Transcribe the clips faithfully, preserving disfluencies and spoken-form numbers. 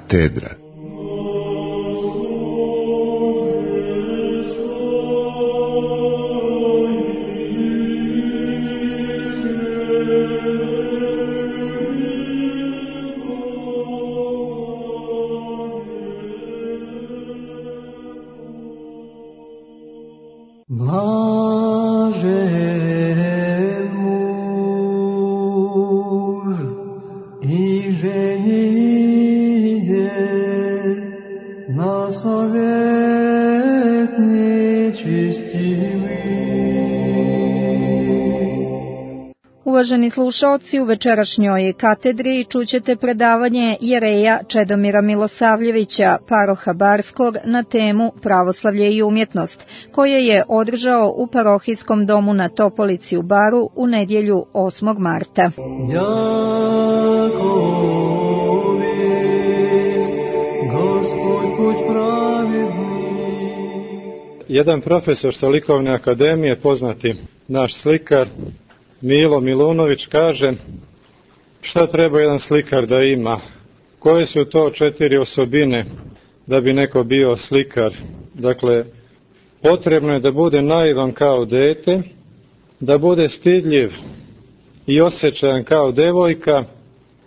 Katedra. Uvaženi slušaoci, u večerašnjoj katedri čućete predavanje jereja Čedomira Milosavljevića, paroha Barskog, na temu Pravoslavlje i umjetnost, koje je održao u parohijskom domu na Topolici u Baru u nedjelju osmog marta. Jedan profesor sa likovne akademije, poznati naš slikar, Milo Milunović, kaže šta treba jedan slikar da ima, koje su to četiri osobine da bi neko bio slikar. Dakle, potrebno je da bude naivan kao dete, da bude stidljiv i osjećajan kao devojka,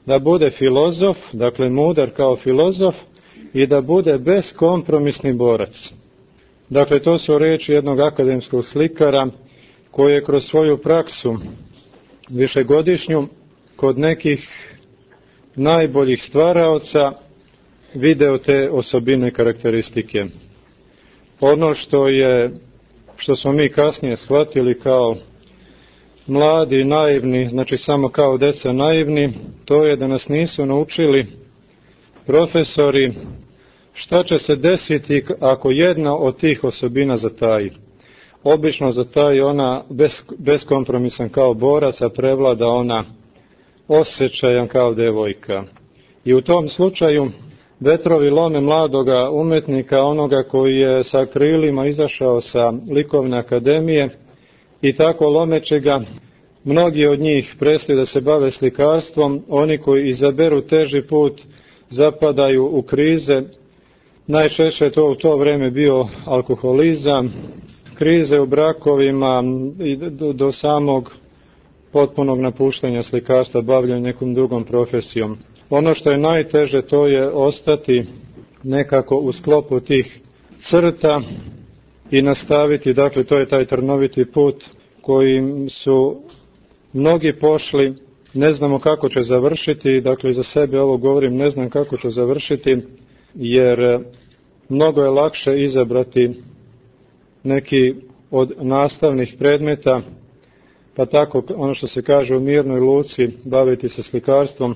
da bude filozof, dakle mudar kao filozof, i da bude beskompromisni borac. Dakle, to su riječi jednog akademskog slikara koji je kroz svoju praksu višegodišnju kod nekih najboljih stvaraoca video te osobine karakteristike. Ono što je, što smo mi kasnije shvatili kao mladi, naivni, znači samo kao deca naivni, to je da nas nisu naučili profesori šta će se desiti ako jedna od tih osobina zataji. Obično zataji ona bez, beskompromisan kao borac, a prevlada ona osjećajan kao devojka. I u tom slučaju vetrovi lome mladoga umetnika, onoga koji je sa krilima izašao sa likovne akademije, i tako lomeće ga, mnogi od njih prestaju da se bave slikarstvom, oni koji izaberu teži put zapadaju u krize. Najčešće je to u to vrijeme bio alkoholizam, krize u brakovima i do, do samog potpunog napuštanja slikarstva, bavljanja nekom drugom profesijom. Ono što je najteže, to je ostati nekako u sklopu tih crta i nastaviti, dakle to je taj trnoviti put kojim su mnogi pošli, ne znamo kako će završiti, dakle za sebe ovo govorim, ne znam kako će završiti, jer mnogo je lakše izabrati neki od nastavnih predmeta, pa tako ono što se kaže u mirnoj luci baviti se slikarstvom,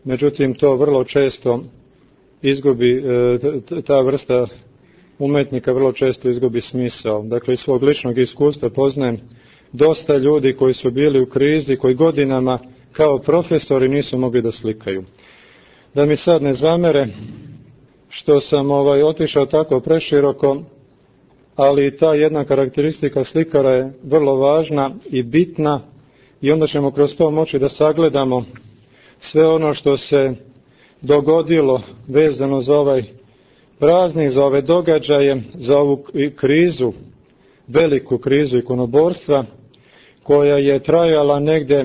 međutim to vrlo često izgubi, ta vrsta umetnika vrlo često izgubi smisao. Dakle, iz svog ličnog iskustva poznajem dosta ljudi koji su bili u krizi, koji godinama kao profesori nisu mogli da slikaju. Da mi sad ne zamere što sam ovaj otišao tako preširoko, ali ta jedna karakteristika slikara je vrlo važna i bitna, i onda ćemo kroz to moći da sagledamo sve ono što se dogodilo vezano za ovaj praznik, za ove događaje, za ovu krizu, veliku krizu ikonoborstva, koja je trajala negde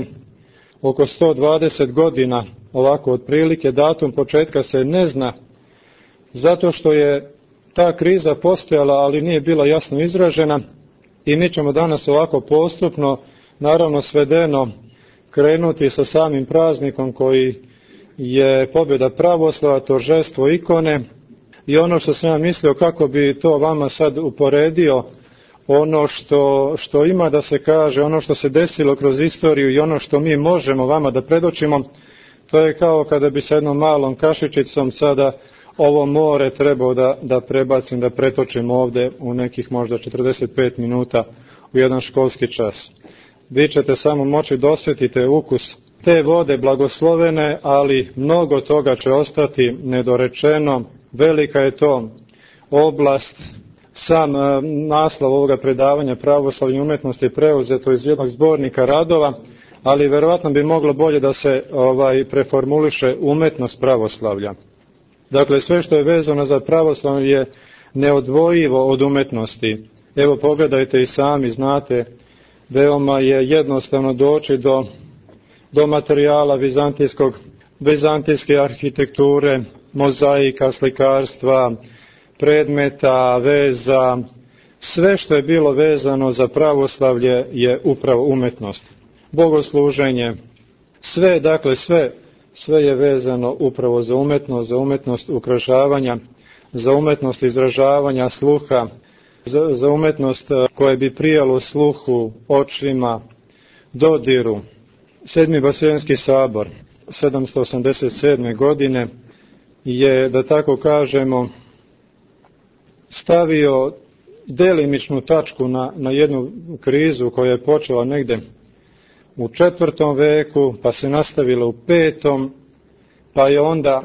oko sto dvadeset godina, ovako otprilike, datum početka se ne zna, zato što je ta kriza postojala, ali nije bila jasno izražena, i mi ćemo danas ovako postupno, naravno svedeno, krenuti sa samim praznikom koji je pobjeda pravoslava, торжество ikone, i ono što sam ja mislio kako bi to vama sad uporedio, ono što, što ima da se kaže, ono što se desilo kroz istoriju i ono što mi možemo vama da predočimo, to je kao kada bi sa jednom malom kašičicom sada ovo more trebao da, da prebacim, da pretočim ovdje u nekih možda četrdeset pet minuta u jedan školski čas. Vi ćete samo moći da osjetite ukus te vode blagoslovene, ali mnogo toga će ostati nedorečeno. Velika je to oblast. Sam naslov ovoga predavanja Pravoslavlje i umjetnosti je preuzeto iz jednog zbornika radova, ali verovatno bi moglo bolje da se ovaj preformuliše umetnost pravoslavlja. Dakle, sve što je vezano za pravoslavlje je neodvojivo od umetnosti. Evo, pogledajte i sami, znate, veoma je jednostavno doći do, do materijala vizantijskog, vizantijske arhitekture, mozaika, slikarstva, predmeta, veza. Sve što je bilo vezano za pravoslavlje je upravo umetnost. Bogosluženje, sve, dakle, sve, sve je vezano upravo za umetnost, za umetnost ukrašavanja, za umetnost izražavanja sluha, za, za umetnost koje bi prijalo sluhu, očima, dodiru. Sedmi Vaseljenski sabor, sedamsto osamdeset sedme. godine, je, da tako kažemo, stavio delimičnu tačku na, na jednu krizu koja je počela negde u četvrtom veku, pa se nastavila u petom, pa je onda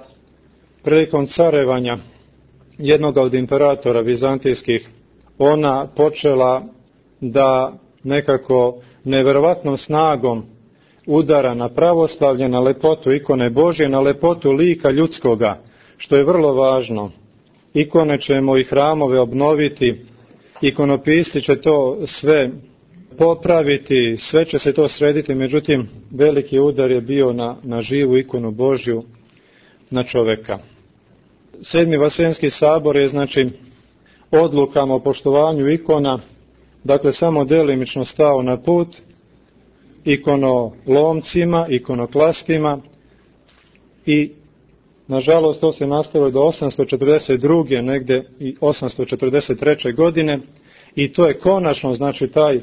prilikom carevanja jednog od imperatora vizantijskih, ona počela da nekako neverovatnom snagom udara na pravoslavlje, na lepotu ikone Božje, na lepotu lika ljudskoga, što je vrlo važno. Ikone ćemo i hramove obnoviti, ikonopisci će to sve popraviti, sve će se to srediti, međutim veliki udar je bio na, na živu ikonu Božju, na čoveka. Sedmi Vaseljenski sabor je, znači, odlukama o poštovanju ikona, dakle, samo delimično stao na put ikonolomcima, ikonoklastima i, nažalost, to se nastavilo do osamsto četrdeset druge. negde i osamsto četrdeset treće. godine i to je konačno, znači, taj,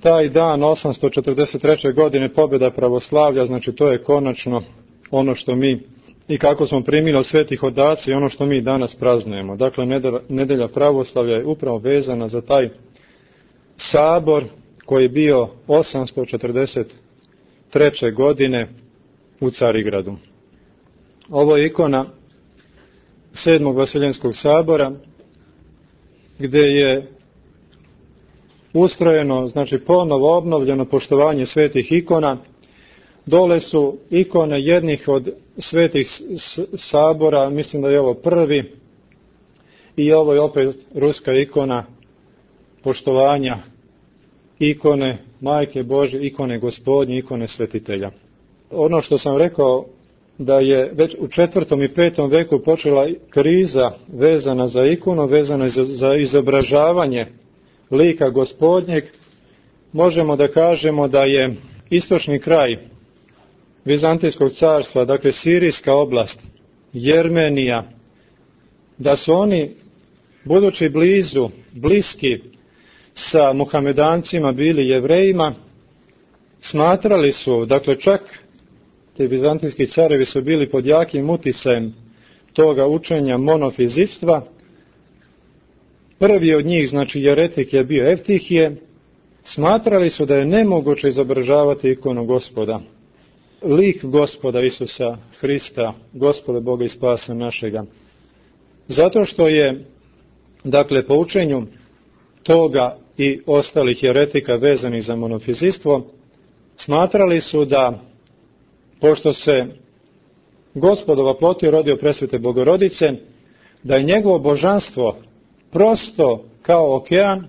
taj dan osamsto četrdeset treće. godine pobjeda pravoslavlja, znači, to je konačno ono što mi i kako smo primili od svetih odaca i ono što mi danas praznujemo. Dakle, nedelja pravoslavlja je upravo vezana za taj sabor koji je bio osamsto četrdeset treće. godine u Carigradu. Ovo je ikona sedmog Vaseljenskog sabora, gde je ustrojeno, znači ponovo obnovljeno poštovanje svetih ikona. Dole su ikone jednih od svetih sabora, mislim da je ovo prvi, i ovo je opet ruska ikona poštovanja ikone Majke Božje, ikone Gospodnje, ikone svetitelja. Ono što sam rekao, da je već u četvrtom i petom veku počela kriza vezana za ikonu, vezana za izobražavanje lika Gospodnjeg, možemo da kažemo da je istočni kraj Vizantijskog carstva, dakle Sirijska oblast, Jermenija, da su oni, budući blizu, bliski sa Muhamedancima, bili Jevrejima, smatrali su, dakle čak ti vizantijski carevi su bili pod jakim uticajem toga učenja monofizitstva. Prvi od njih, znači jeretik, je bio Eftihije. Smatrali su da je nemoguće izobražavati ikonu Gospoda, lik Gospoda Isusa Hrista, Gospoda Boga i spasa našega. Zato što je, dakle, po učenju toga i ostalih jeretika vezanih za monofizitstvo, smatrali su da, pošto se Gospod ovaplotio, rodio presvete Bogorodice, da je njegovo božanstvo prosto kao okean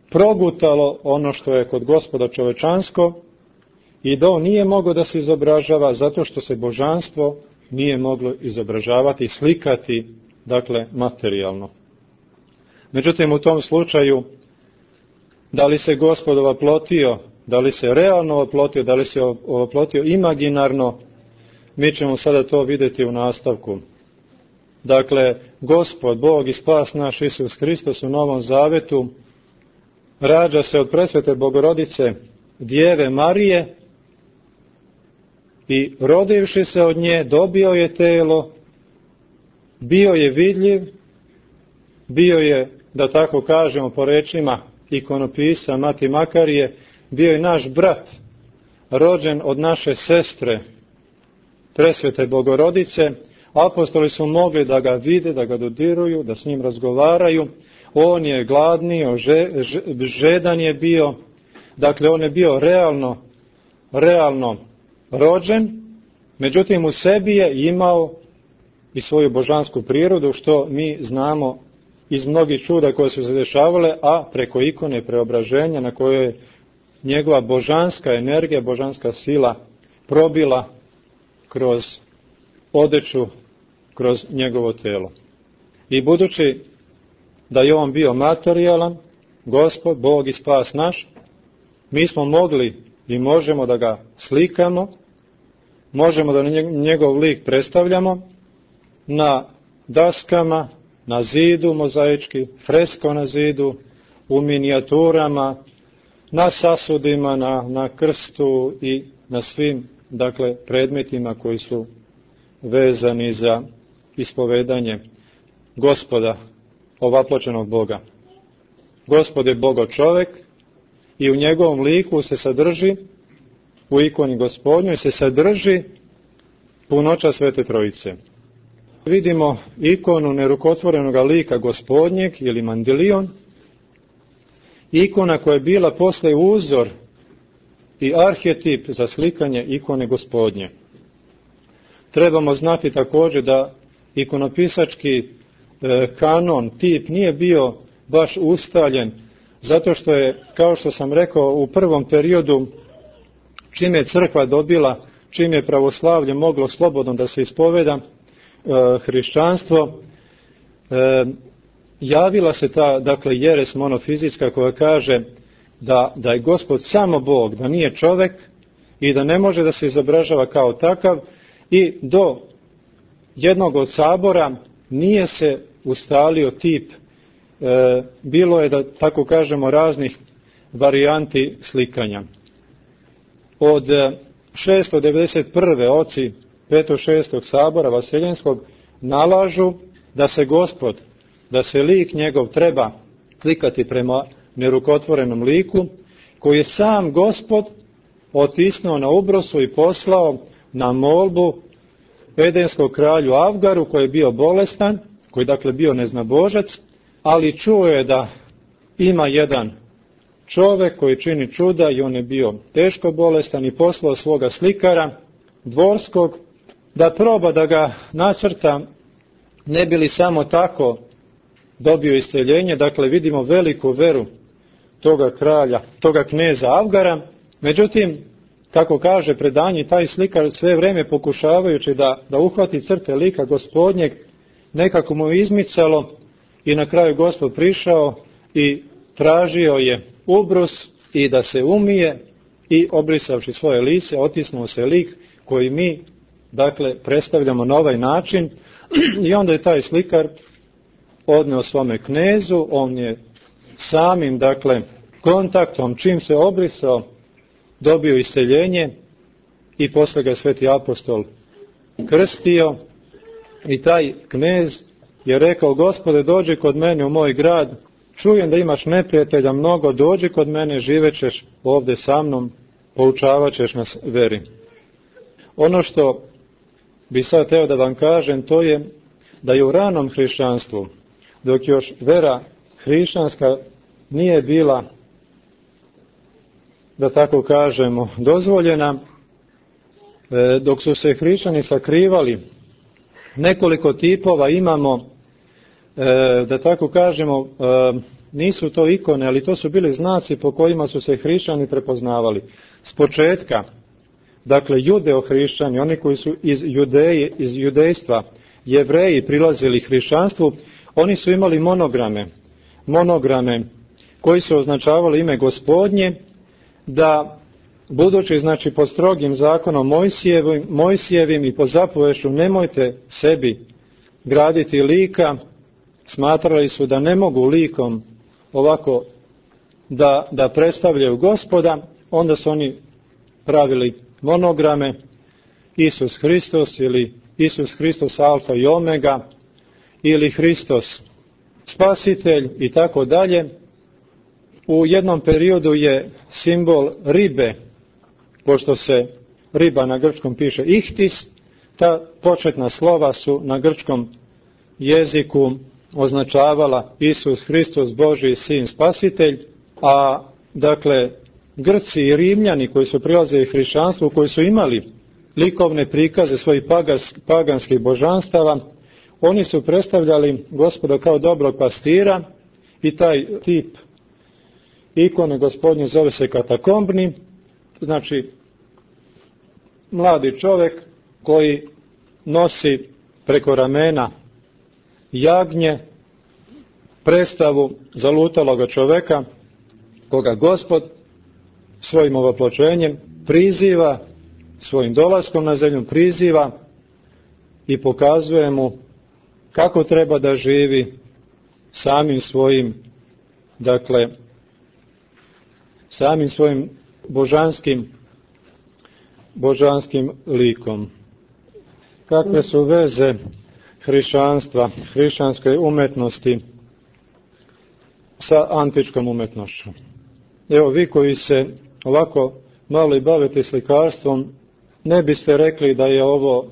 progutalo ono što je kod Gospoda čovečansko i da on nije mogao da se izobražava zato što se božanstvo nije moglo izobražavati, slikati, dakle, materijalno. Međutim, u tom slučaju, da li se Gospod ovaplotio, da li se realno ovaplotio, da li se ovaplotio imaginarno, mi ćemo sada to vidjeti u nastavku. Dakle, Gospod, Bog i spas naš Isus Hristos u Novom Zavetu rađa se od presvete Bogorodice Djeve Marije i rodivši se od nje dobio je telo, bio je vidljiv, bio je, da tako kažemo po rečima ikonopisa Mati Makarije, bio je naš brat, rođen od naše sestre, presvete Bogorodice. Apostoli su mogli da ga vide, da ga dodiruju, da s njim razgovaraju. On je gladnio, žedan je bio, dakle on je bio realno, realno rođen Međutim, u sebi je imao i svoju božansku prirodu, što mi znamo iz mnogih čuda koje su se dešavale, a preko ikone preobraženja na kojoj je njegova božanska energija, božanska sila probila kroz odeću, kroz njegovo telo. I budući da je on bio materijalan, Gospod, Bog i spas naš, mi smo mogli i možemo da ga slikamo, možemo da njegov lik predstavljamo na daskama, na zidu mozaički, fresko na zidu, u minijaturama, na sasudima, na, na krstu i na svim, dakle, predmetima koji su vezani za ispovedanje Gospoda, ovapločenog Boga. Gospod je Bogo čovek i u njegovom liku se sadrži, u ikoni Gospodnjoj se sadrži punoća Svete Trojice. Vidimo ikonu nerukotvorenoga lika Gospodnjeg ili mandilion, ikona koja je bila posle uzor i arhetip za slikanje ikone Gospodnje. Trebamo znati također da ikonopisački e, kanon, tip nije bio baš ustaljen, zato što je, kao što sam rekao, u prvom periodu, čim je crkva dobila, čim je pravoslavlje moglo slobodno da se ispoveda, e, hrišćanstvo, e, javila se ta, dakle, jeres monofizijska koja kaže da, da je Gospod samo Bog, da nije čovek i da ne može da se izobražava kao takav, i do jednog od sabora nije se ustalio tip. E, bilo je, da tako kažemo, raznih varijanti slikanja. Od šesto devedeset prve oci petog šestog sabora Vaseljenskog nalažu da se Gospod, da se lik njegov treba slikati prema nerukotvorenom liku, koji je sam Gospod otisnuo na ubrosu i poslao na molbu edenskog kralju Avgaru, koji je bio bolestan, koji je dakle bio neznabožac, ali čuo je da ima jedan čovek koji čini čuda i on je bio teško bolestan i poslao svoga slikara dvorskog da proba da ga nacrta, ne bi li samo tako dobio isceljenje. Dakle, vidimo veliku veru toga kralja, toga kneza Avgara. Međutim, kako kaže predanje, taj slikar sve vreme pokušavajući da, da uhvati crte lika Gospodnjeg, nekako mu je izmicalo i na kraju Gospod prišao i tražio je ubrus i da se umije i obrisavši svoje lice, otisnuo se lik koji mi, dakle, predstavljamo na ovaj način. I onda je taj slikar odneo svome knezu, on je samim, dakle, kontaktom, čim se obrisao, dobio isceljenje i posle ga sveti apostol krstio i taj knez je rekao: Gospode, dođi kod mene u moj grad, čujem da imaš neprijatelja mnogo, dođi kod mene, živećeš ovde sa mnom, poučavat ćeš nas veri. Ono što bi sad teo da vam kažem, to je da je u ranom hrišćanstvu, dok još vera hrišćanska nije bila, da tako kažemo, dozvoljena, dok su se hrišćani sakrivali, nekoliko tipova imamo, da tako kažemo, nisu to ikone, ali to su bili znaci po kojima su se hrišćani prepoznavali. S početka, dakle, judeo-hrišćani, oni koji su iz judeje, iz judejstva, Jevreji prilazili hrišćanstvu, oni su imali monograme, monograme koji su označavali ime Gospodnje, da budući, znači, pod strogim zakonom Mojsijevim, Mojsijevim i po zapovešću nemojte sebi graditi lika, smatrali su da ne mogu likom ovako da, da predstavljaju Gospoda, onda su oni pravili monograme Isus Hristos ili Isus Hristos Alfa i Omega ili Hristos Spasitelj i tako dalje. U jednom periodu je simbol ribe, pošto se riba na grčkom piše ihtis, ta početna slova su na grčkom jeziku označavala Isus Hristos, Božji sin, Spasitelj, a dakle Grci i Rimljani koji su prilazili hrišćanstvu, koji su imali likovne prikaze svojih paganskih božanstava, oni su predstavljali Gospoda kao dobrog pastira i taj tip ikone Gospodnje zove se katakombni, znači mladi čovjek koji nosi preko ramena jagnje, predstavu zalutaloga čovjeka koga Gospod svojim ovopločenjem priziva, svojim dolaskom na zemlju priziva i pokazuje mu kako treba da živi samim svojim, dakle, samim svojim božanskim, božanskim likom. Kakve su veze hrišćanstva, hrišćanske umetnosti sa antičkom umetnošću? Evo, vi koji se ovako malo i bavite slikarstvom, ne biste rekli da je ovo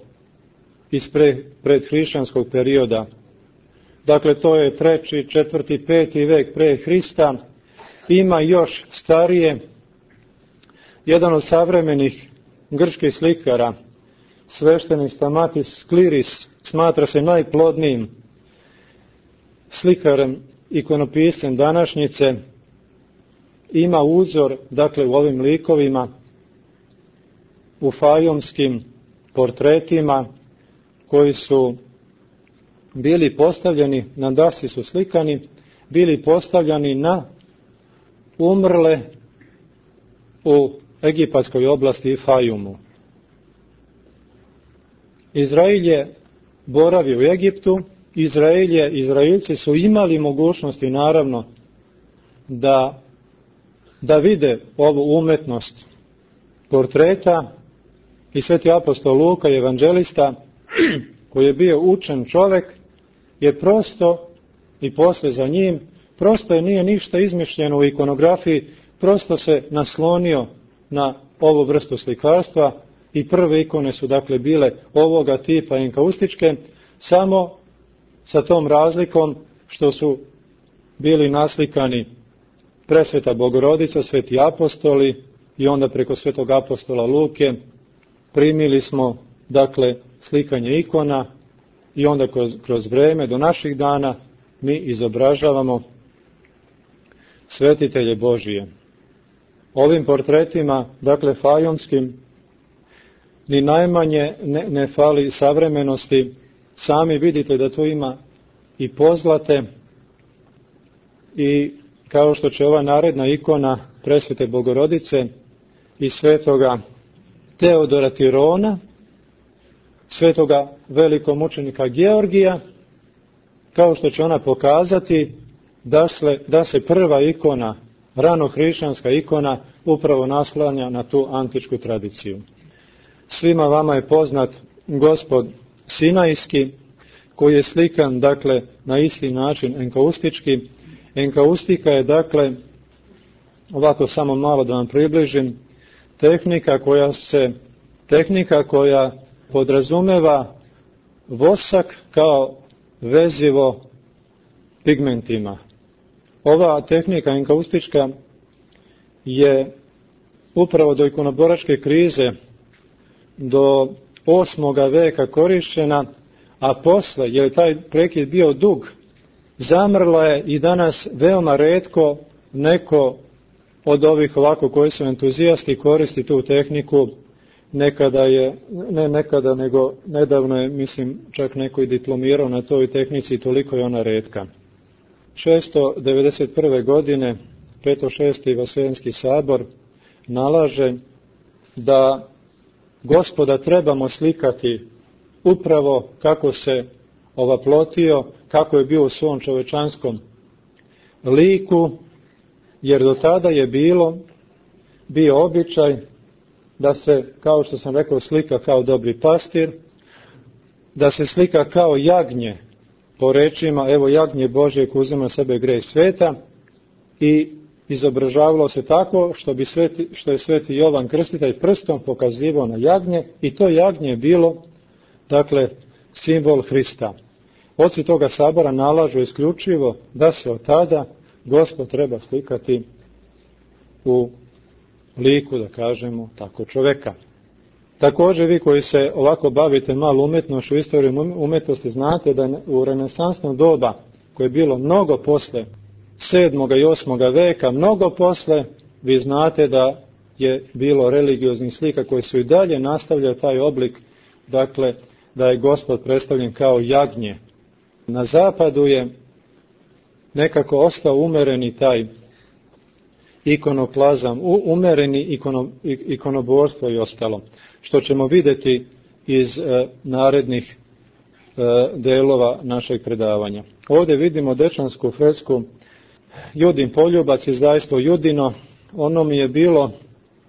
iz pre, predhrišćanskog perioda. Dakle, to je treći, četvrti, peti vek pre Hrista. Ima još starije. Jedan od savremenih grčkih slikara, sveštenik Stamatis Skliris, smatra se najplodnijim slikarem, ikonopiscem današnjice. Ima uzor, dakle, u ovim likovima, u fajomskim portretima koji su bili postavljeni, na dasi su slikani, bili postavljani na umrle u egipatskoj oblasti Fajumu. Izrael je boravio u Egiptu, Izrael je, Izraelci su imali mogućnosti, naravno, da, da vide ovu umetnost portreta, i sveti apostol Luka, evanđelista, koji je bio učen čovjek, je prosto, i posle za njim, prosto je nije ništa izmišljeno u ikonografiji, prosto se naslonio na ovu vrstu slikarstva i prve ikone su dakle bile ovoga tipa enkaustičke, samo sa tom razlikom što su bili naslikani presveta Bogorodica, sveti apostoli i onda preko svetog apostola Luke primili smo dakle slikanje ikona i onda kroz, kroz vreme do naših dana mi izobražavamo svetitelje Božije. Ovim portretima, dakle fajonskim, ni najmanje ne, ne fali savremenosti. Sami vidite da tu ima i pozlate i kao što će ova naredna ikona presvete Bogorodice i svetoga Teodora Tirona, svetoga velikomučenika Georgija, kao što će ona pokazati da se, da se prva ikona, ranohrišćanska ikona, upravo naslanja na tu antičku tradiciju. Svima vama je poznat Gospod Sinajski, koji je slikan, dakle, na isti način enkaustički. Enkaustika je, dakle, ovako samo malo da vam približim, tehnika koja se, tehnika koja podrazumeva vosak kao vezivo pigmentima. Ova tehnika enkaustička je upravo do ikonoboračke krize, do osmoga veka korišćena, a posle, jer je taj prekid bio dug, zamrla je i danas veoma retko neko od ovih ovako koji su entuzijasti koristi tu tehniku. Nekada je, ne nekada, nego nedavno je, mislim, čak neko i diplomirao na toj tehnici i toliko je ona retka. šesto devedeset prve. godine Petošesti Vaseljenski sabor nalaže da Gospoda trebamo slikati upravo kako se ovaplotio, kako je bio u svom čovečanskom liku, jer do tada je bilo, bio običaj da se, kao što sam rekao, slika kao dobri pastir, da se slika kao jagnje, po rečima, evo jagnje Božje koje uzima sebe grej sveta, i izobražavalo se tako što, bi sveti, što je sveti Jovan Krstitelj prstom pokazivao na jagnje, i to jagnje je bilo, dakle, simbol Hrista. Oci toga sabora nalažu isključivo da se od tada Gospod treba slikati u liku, da kažemo tako, čoveka. Također vi koji se ovako bavite malo umjetnošću, istorijom umjetnosti, znate da u renesansno doba, koje je bilo mnogo posle sedmoga i osmoga veka, mnogo posle, vi znate da je bilo religioznih slika koje su i dalje nastavljaju taj oblik, dakle da je Gospod predstavljen kao jagnje. Na zapadu je nekako ostao umereni taj ikonoplazam, umereni ikono, ikonoborstvo i ostalo, što ćemo vidjeti iz e, narednih e, delova našeg predavanja. Ovdje vidimo dečansku fresku Judin poljubac, izdajstvo Judino. Ono mi je bilo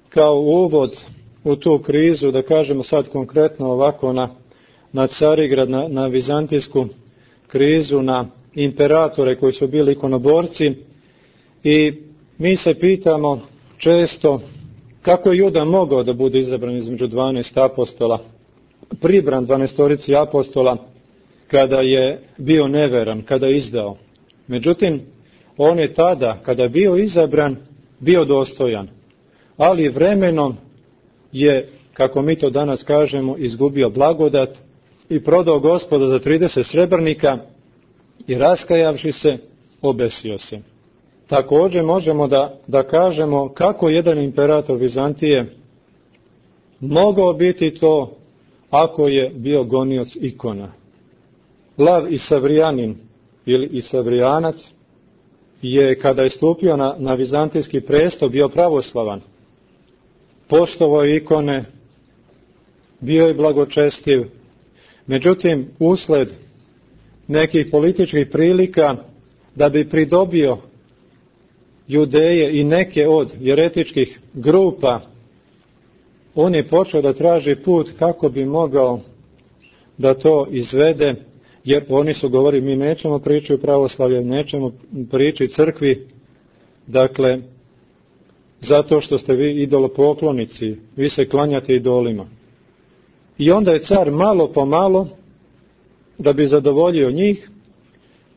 kao uvod u tu krizu, da kažemo sad konkretno ovako na, na Carigrad, na, na vizantijsku krizu, na imperatore koji su bili ikonoborci, i mi se pitamo često kako je Juda mogao da bude izabran između dvanaest apostola, pribran dvanaestorici apostola, kada je bio neveran, kada je izdao. Međutim, on je tada, kada je bio izabran, bio dostojan, ali vremenom je, kako mi to danas kažemo, izgubio blagodat i prodao Gospoda za trideset srebrnika i raskajavši se, obesio se. Također možemo da, da kažemo kako jedan imperator Vizantije mogao biti to ako je bio gonioc ikona. Lav Isavrijanin ili Isavrijanac je, kada je stupio na, na vizantijski presto, bio pravoslavan. Poštovao je ikone, bio je blagočestiv. Međutim, usled nekih političkih prilika, da bi pridobio Judeje i neke od jeretičkih grupa, on je počeo da traži put kako bi mogao da to izvede, jer oni su govorili, mi nećemo pričati o pravoslavlju, nećemo pričati crkvi, dakle, zato što ste vi idolopoklonici, vi se klanjate idolima. I onda je car malo po malo, da bi zadovoljio njih,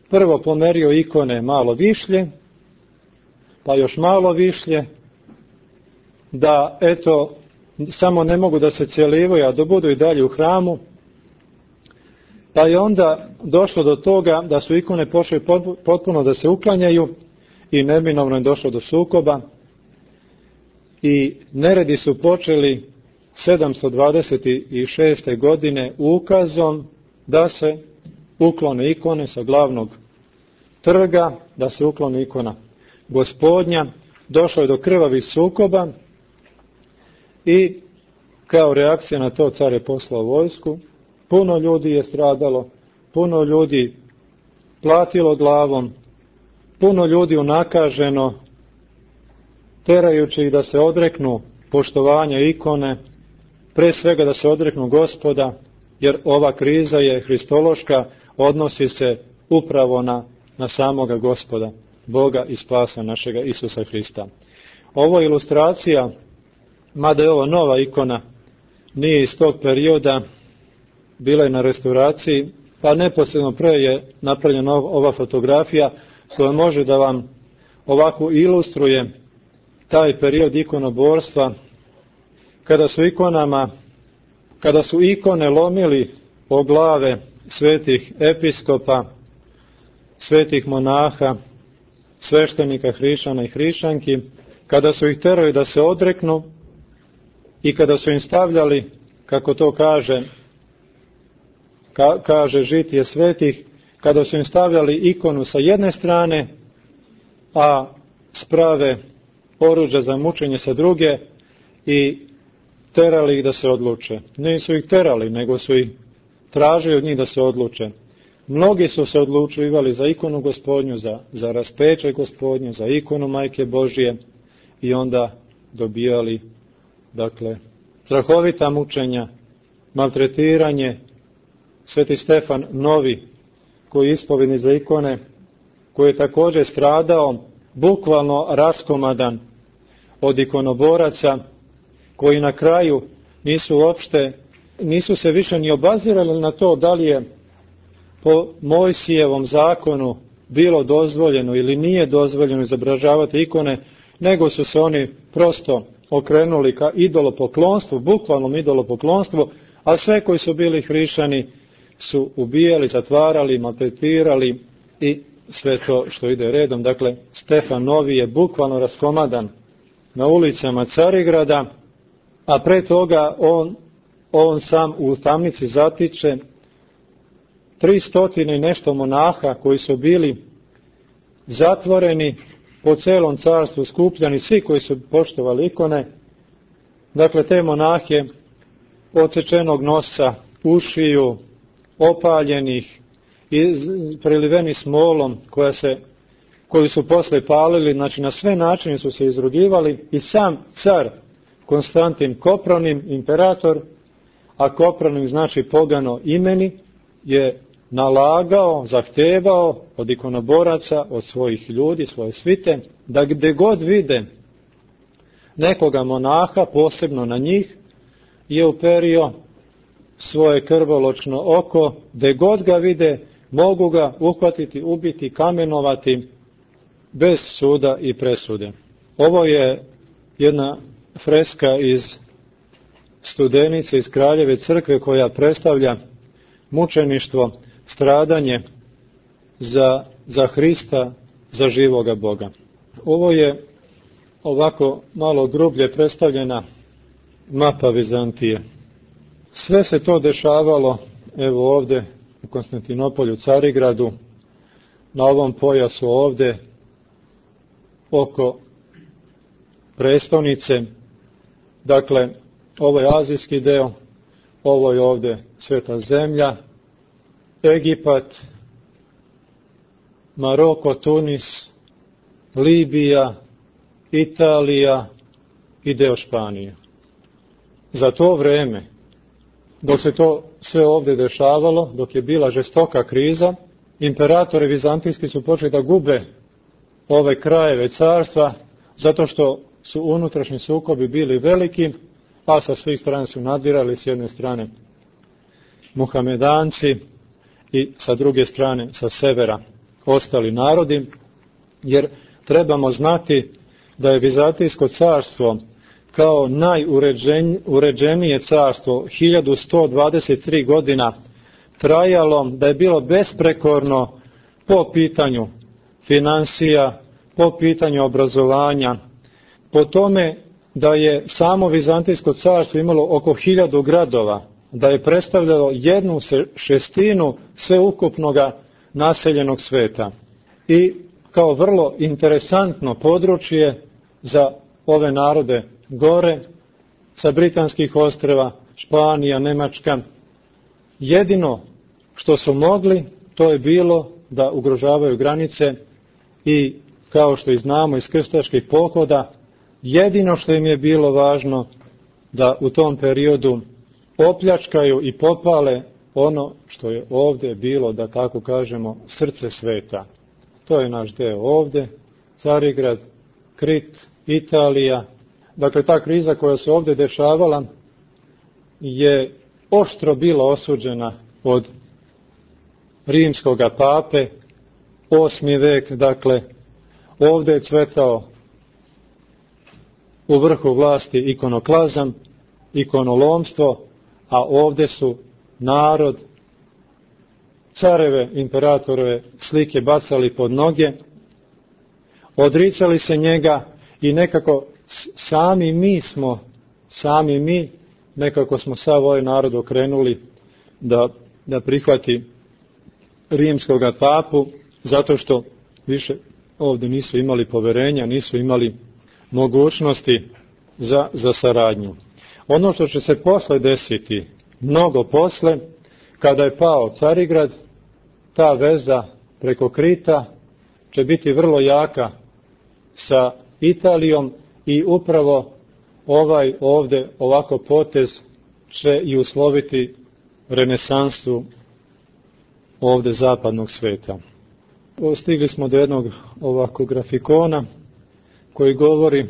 prvo pomerio ikone malo višlje, pa još malo višlje, da eto, samo ne mogu da se cijelivaju, a da budu i dalje u hramu. Pa je onda došlo do toga da su ikone počeli potpuno da se uklanjaju i neminovno je došlo do sukoba. I neredi su počeli sedamsto dvadeset šeste. godine ukazom da se uklone ikone sa glavnog trga, da se uklone ikona Gospodnja. Došlo je do krvavih sukoba i kao reakcija na to car je poslao vojsku. Puno ljudi je stradalo, puno ljudi platilo glavom, puno ljudi unakaženo, terajući ih da se odreknu poštovanja ikone, pre svega da se odreknu Gospoda, jer ova kriza je hristološka, odnosi se upravo na, na samoga Gospoda, Boga i spasa našega Isusa Hrista. Ovo je ilustracija, mada je ovo nova ikona, nije iz tog perioda, bila je na restauraciji, pa neposredno pre je napravljena ova fotografija koja može da vam ovako ilustruje taj period ikonoborstva, kada su ikonama, kada su ikone lomili o glave svetih episkopa, svetih monaha, sveštenika, hrišćana i hrišćanki, kada su ih terali da se odreknu i kada su im stavljali, kako to kaže, ka, kaže žitije svetih, kada su im stavljali ikonu sa jedne strane, a sprave oruđa za mučenje sa druge i terali ih da se odluče. Nisu ih terali, nego su ih tražili od njih da se odluče. Mnogi su se odlučivali za ikonu Gospodnju, za, za raspeće Gospodnje, za ikonu Majke Božije i onda dobijali, dakle, strahovita mučenja, maltretiranje. Sveti Stefan Novi, koji je ispovednik za ikone, koji je također stradao, bukvalno raskomadan od ikonoboraca, koji na kraju nisu uopšte, nisu se više ni obazirali na to da li je po Mojsijevom zakonu bilo dozvoljeno ili nije dozvoljeno izobražavati ikone, nego su se oni prosto okrenuli ka idolopoklonstvu, bukvalnom idolopoklonstvu, a sve koji su bili hrišćani su ubijali, zatvarali, maltretirali i sve to što ide redom. Dakle, Stefan Novi je bukvalno raskomadan na ulicama Carigrada, a pre toga on, on sam u tamnici zatiče tristotine i nešto monaha koji su bili zatvoreni po celom carstvu, skupljani, svi koji su poštovali ikone. Dakle, te monahe odsečenog nosa, ušiju, opaljenih i preliveni smolom koja se, koju su posle palili, znači na sve načine su se izrugivali, i sam car Konstantin Kopronim, imperator, a Kopronim znači pogano imeni, je nalagao, zahtevao od ikonoboraca, od svojih ljudi, svoje svite, da gde god vide nekoga monaha, posebno na njih, je uperio svoje krvoločno oko, gde god ga vide, mogu ga uhvatiti, ubiti, kamenovati, bez suda i presude. Ovo je jedna freska iz Studenice, iz Kraljeve crkve, koja predstavlja mučeništvo, stradanje za, za Hrista, za živoga Boga. Ovo je ovako malo grublje predstavljena mapa Vizantije. Sve se to dešavalo, evo ovde u Konstantinopolju, Carigradu, na ovom pojasu ovde, oko prestonice. Dakle, ovo je azijski deo, ovo je ovde Sveta zemlja, Egipat, Maroko, Tunis, Libija, Italija i deo Španije. Za to vreme, dok se to sve ovde dešavalo, dok je bila žestoka kriza, imperatori vizantijski su počeli da gube ove krajeve carstva, zato što su unutrašnji sukobi bili veliki, a sa svih strana su nadirali, s jedne strane Muhamedanci i sa druge strane, sa severa, ostali narodi, jer trebamo znati da je Vizantijsko carstvo kao najuređenije carstvo hiljadu sto dvadeset tri godina trajalo, da je bilo besprekorno po pitanju finansija, po pitanju obrazovanja, po tome da je samo Vizantijsko carstvo imalo oko hiljadu gradova, da je predstavljalo jednu šestinu sveukupnoga naseljenog sveta. I kao vrlo interesantno područje za ove narode gore, sa britanskih ostrva, Španija, Nemačka, jedino što su mogli, to je bilo da ugrožavaju granice i, kao što i znamo iz krstaških pohoda, jedino što im je bilo važno da u tom periodu opljačkaju i popale ono što je ovde bilo, da tako kažemo, srce sveta. To je naš deo ovde, Carigrad, Krit, Italija. Dakle, ta kriza koja se ovde dešavala je oštro bila osuđena od rimskoga pape, osmi vek, dakle, ovde je cvetao u vrhu vlasti ikonoklazam, ikonolomstvo, a ovde su narod, careve, imperatorove slike bacali pod noge, odricali se njega i nekako sami mi smo, sami mi nekako smo sav ovaj narod okrenuli da, da prihvati rimskoga papu, zato što više ovde nisu imali poverenja, nisu imali mogućnosti za, za saradnju. Ono što će se posle desiti, mnogo posle, kada je pao Carigrad, ta veza preko Krita će biti vrlo jaka sa Italijom i upravo ovaj ovde ovako potez će i usloviti renesansu ovde zapadnog sveta. Stigli smo do jednog ovako grafikona koji govori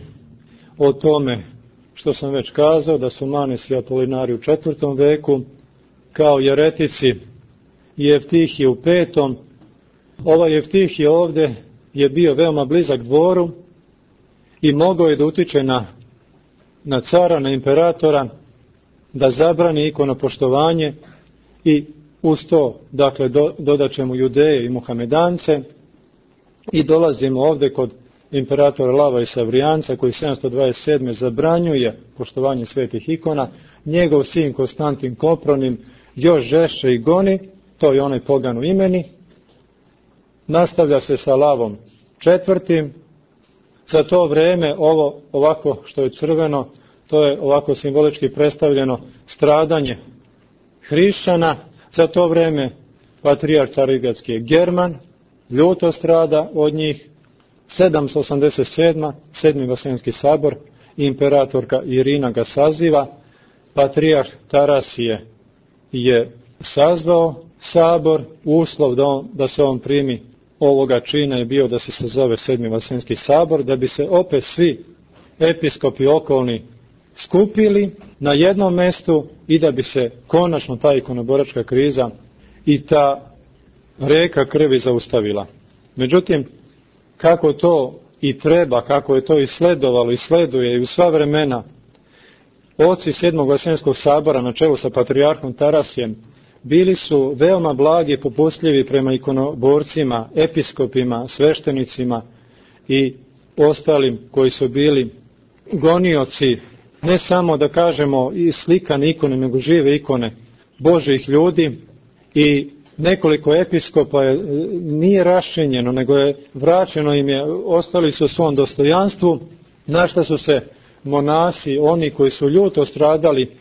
o tome što sam već kazao, da su Manes i Apolinari u četvrtom veku, kao jeretici i Evtihije u petom. Ovaj Evtihije ovde je bio veoma blizak dvoru i mogao je da utiče na na cara, na imperatora, da zabrani ikonopoštovanje i uz to, dakle, do, dodat ćemo Judeje i Muhamedance i dolazimo ovdje kod imperatora Lava i Savrijanca koji sedamsto dvadeset sedme zabranjuje poštovanje svetih ikona, njegov sin Konstantin Kopronim još žešće i goni, to je onaj pogan u imeni, nastavlja se sa Lavom četvrtim, za to vrijeme ovo ovako što je crveno, to je ovako simbolički predstavljeno stradanje hrišćana, za to vrijeme patrijarh Carigradski je German, ljuto strada od njih, sedamsto osamdeset sedma. sedmi Vaseljenski sabor, imperatorka Irina ga saziva, patrijarh Tarasije je sazvao sabor, uslov da, on, da se on primi ovoga čina je bio da se sazove sedmi Vaseljenski sabor, da bi se opet svi episkopi okolni skupili na jednom mjestu i da bi se konačno ta ikonoboračka kriza i ta reka krvi zaustavila. Međutim, kako to i treba, kako je to i sledovalo i sleduje i u sva vremena, oci sedmog Vaseljenskog sabora na čelu sa patrijarhom Tarasijem bili su veoma blagi i popustljivi prema ikonoborcima, episkopima, sveštenicima i ostalim koji su bili gonioci, ne samo da kažemo i slikane ikone, nego žive ikone Božjih ljudi. I nekoliko episkopa je, nije raščinjeno, nego je vraćeno im je, ostali su u svom dostojanstvu, na što su se monasi, oni koji su ljuto stradali,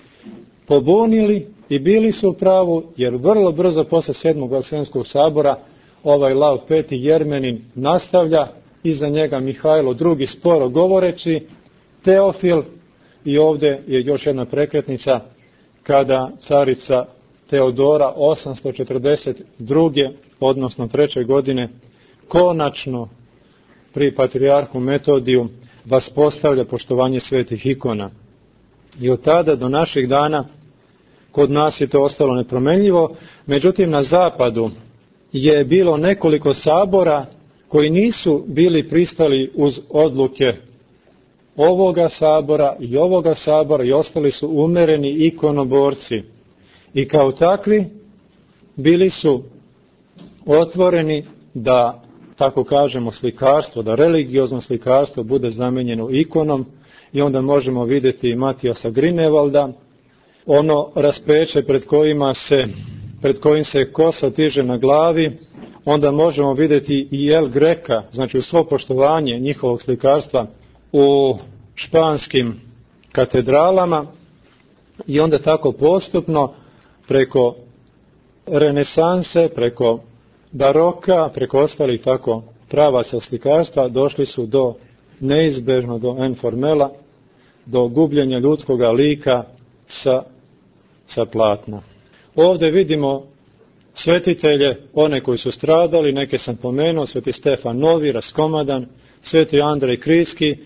pobunili i bili su u pravu, jer vrlo brzo posle sedmog Vaseljenskog sabora ovaj Lav peti Jermenin nastavlja, iza njega Mihajlo drugi sporo govoreći, Teofil, i ovdje je još jedna prekretnica kada carica Teodora osamsto četrdeset druge odnosno treće godine konačno pri patrijarhu Metodiju vaspostavlja poštovanje svetih ikona. I od tada do naših dana kod nas je to ostalo nepromenljivo, međutim na zapadu je bilo nekoliko sabora koji nisu bili pristali uz odluke ovoga sabora i ovoga sabora i ostali su umereni ikonoborci. I kao takvi bili su otvoreni da, tako kažemo, slikarstvo, da religiozno slikarstvo bude zamenjeno ikonom i onda možemo vidjeti Matijasa Grinevalda, ono raspeće pred kojima se, pred kojim se kosa tiže na glavi, onda možemo vidjeti i El Greka, znači u svo poštovanje njihovog slikarstva u španskim katedralama i onda tako postupno preko renesanse, preko baroka, preko ostalih tako pravaca slikarstva došli su do neizbežno do enformela, do gubljenja ljudskoga lika sa, sa platna. Ovdje vidimo svetitelje, one koji su stradali, neke sam pomenuo, sveti Stefan Novi, raskomadan, sveti Andrej Kriski,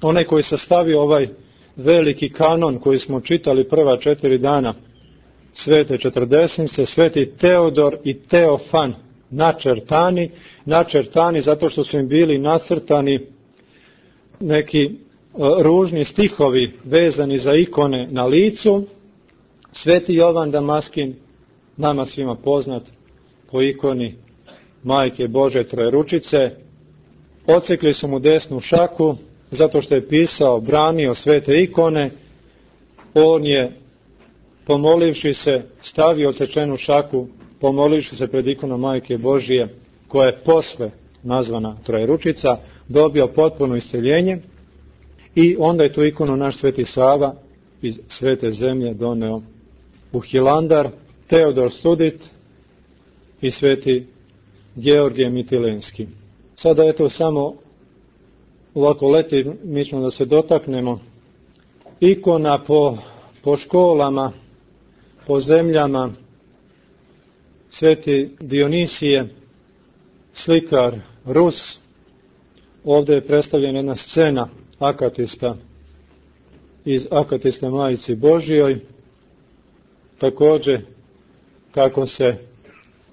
onaj koji sastavio ovaj veliki kanon koji smo čitali prva četiri dana, svete četrdesnice, sveti Teodor i Teofan, načrtani, načrtani zato što su im bili nacrtani neki ružni stihovi vezani za ikone na licu, sveti Jovan Damaskin, nama svima poznat po ikoni Majke Bože Trojeručice, odsekli su mu desnu šaku zato što je pisao, branio svete ikone, on je pomolivši se, stavio odsečenu šaku, pomolivši se pred ikonom Majke Božije, koja je posle nazvana Trojeručica, dobio potpuno isceljenje i onda je tu ikonu naš sveti Sava iz svete zemlje doneo u Hilandar, Teodor Studit i sveti Georgije Mitilenski. Sada je to samo ovako letimično da se dotaknemo ikona po, po školama, po zemljama. Sveti Dionisije, slikar Rus, ovdje je predstavljena jedna scena akatista iz Akatiste Majici Božijoj, također kako se